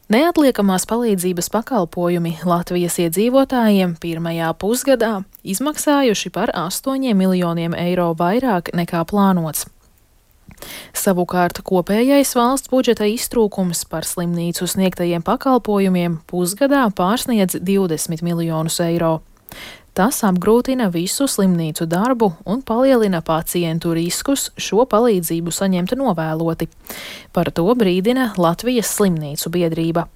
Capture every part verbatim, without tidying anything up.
Neatliekamās palīdzības pakalpojumi Latvijas iedzīvotājiem pirmajā pusgadā izmaksājuši par astoņiem miljoniem eiro vairāk nekā plānots. Savukārt kopējais valsts budžeta iztrūkums par slimnīcu sniegtajiem pakalpojumiem pusgadā pārsniedz divdesmit miljonus eiro. Tas apgrūtina visu slimnīcu darbu un palielina pacientu riskus šo palīdzību saņemt novēloti. Par to brīdina Latvijas slimnīcu biedrība.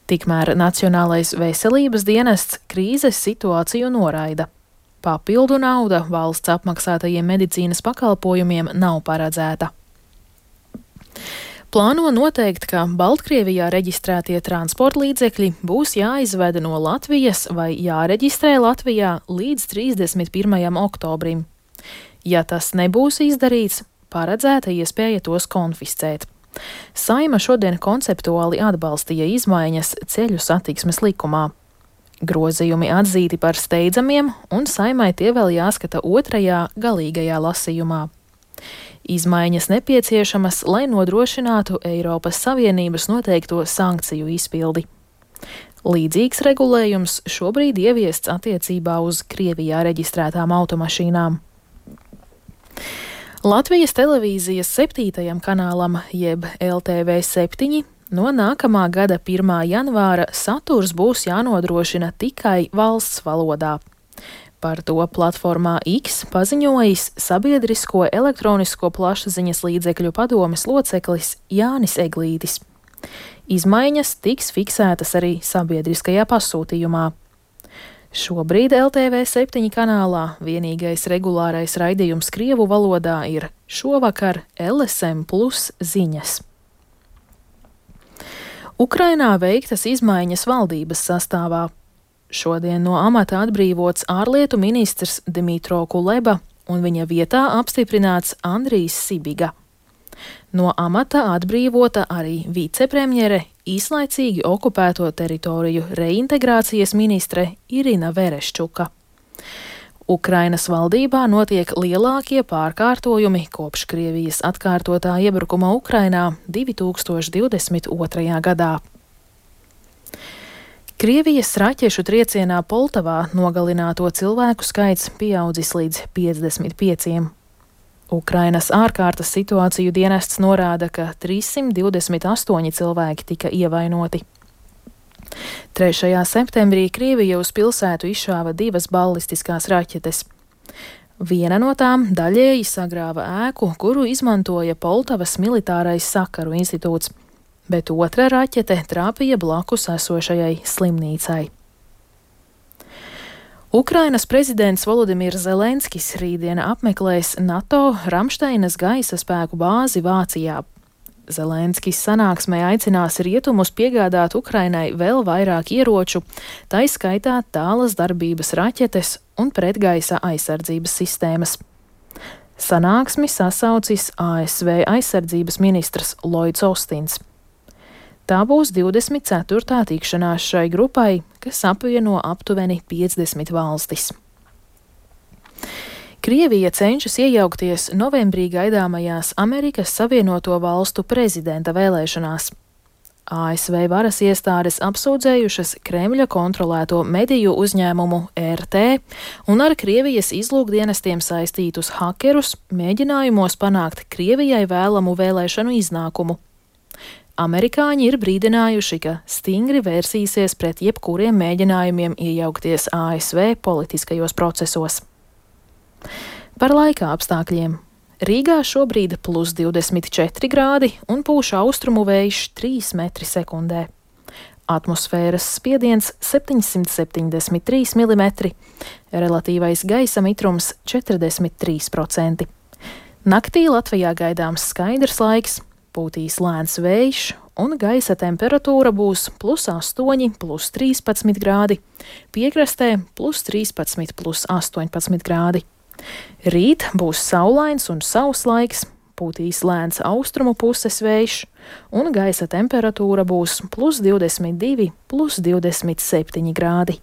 Tikmēr Nacionālais veselības dienests krīzes situāciju noraida. Papildu nauda valsts apmaksātajiem medicīnas pakalpojumiem nav paredzēta. Plāno noteikt, ka Baltkrievijā reģistrētie transporta līdzekļi būs jāizved no Latvijas vai jāreģistrē Latvijā līdz trīsdesmit pirmajam oktobrim. Ja tas nebūs izdarīts, paredzēta iespēja tos konfiscēt. Saeima šodien konceptuāli atbalstīja izmaiņas ceļu satiksmes likumā. Grozījumi atzīti par steidzamiem, un Saeimai tie vēl jāskata otrajā galīgajā lasījumā. Izmaiņas nepieciešamas, lai nodrošinātu Eiropas Savienības noteikto sankciju izpildi. Līdzīgs regulējums šobrīd ieviests attiecībā uz Krievijā reģistrētām automašīnām. Latvijas televīzijas septītajam kanālam, jeb L T V septiņi, no nākamā gada pirmā janvāra saturs būs jānodrošina tikai valsts valodā. Par to platformā X paziņojis Sabiedrisko elektronisko plašsaziņas līdzekļu padomes loceklis Jānis Eglītis. Izmaiņas tiks fiksētas arī sabiedriskajā pasūtījumā. Šobrīd L T V septiņi kanālā vienīgais regulārais raidījums krievu valodā ir šovakar L S M plus ziņas. Ukrainā veiktas izmaiņas valdības sastāvā. Šodien no amata atbrīvots ārlietu ministrs Dmitro Kuleba un viņa vietā apstiprināts Andrijs Sibiga. No amata atbrīvota arī vicepremjere, īslaicīgi okupēto teritoriju reintegrācijas ministre Irina Vereščuka. Ukrainas valdībā notiek lielākie pārkārtojumi kopš Krievijas atkārtotā iebrukuma Ukrainā divi tūkstoši divdesmit otrajā gadā. Krievijas raķešu triecienā Poltavā nogalināto cilvēku skaits pieaudzis līdz piecdesmit pieciem. Ukrainas ārkārtas situāciju dienests norāda, ka trīssimt divdesmit astoņi cilvēki tika ievainoti. trešajā septembrī Krievija uz pilsētu izšāva divas ballistiskās raķetes. Viena no tām daļēji sagrāva ēku, kuru izmantoja Poltavas militārais sakaru institūts, bet otra raķete trāpīja blakus esošajai slimnīcai. Ukrainas prezidents Volodimirs Zelenskis rītdien apmeklēs NATO Ramšteinas gaisa spēku bāzi Vācijā. Zelenskis sanāksmē aicinās rietumus piegādāt Ukrainai vēl vairāk ieroču, tai skaitā tālas darbības raķetes un pretgaisa aizsardzības sistēmas. Sanāksmi sasaucis A S V aizsardzības ministrs Lloyds Austins. Tā būs divdesmit ceturtā tikšanās šai grupai, kas apvieno aptuveni piecdesmit valstis. Krievija cenšas iejaukties novembrī gaidāmajās Amerikas Savienoto Valstu prezidenta vēlēšanās. A S V varas iestādes apsūdzējušas Kremļa kontrolēto mediju uzņēmumu R T un ar Krievijas izlūkdienestiem saistītus hakerus mēģinājumos panākt Krievijai vēlamu vēlēšanu iznākumu. Amerikāņi ir brīdinājuši, ka stingri vērsīsies pret jebkuriem mēģinājumiem iejaukties A S V politiskajos procesos. Par laika apstākļiem. Rīgā šobrīd plus divdesmit četri grādi un pūš austrumu vējš trīs metri sekundē. Atmosfēras spiediens septiņsimt septiņdesmit trīs milimetri, relatīvais gaisa mitrums četrdesmit trīs procenti. Naktī Latvijā gaidāms skaidrs laiks, pūtīs lēns vējš un gaisa temperatūra būs plus astoņi, plus trīspadsmit grādi, piekrastē plus trīspadsmit, plus astoņpadsmit grādi. Rīt būs saulains un sauss laiks, pūtīs lēns austrumu puses vējš un gaisa temperatūra būs plus divdesmit divi, plus divdesmit septiņi grādi.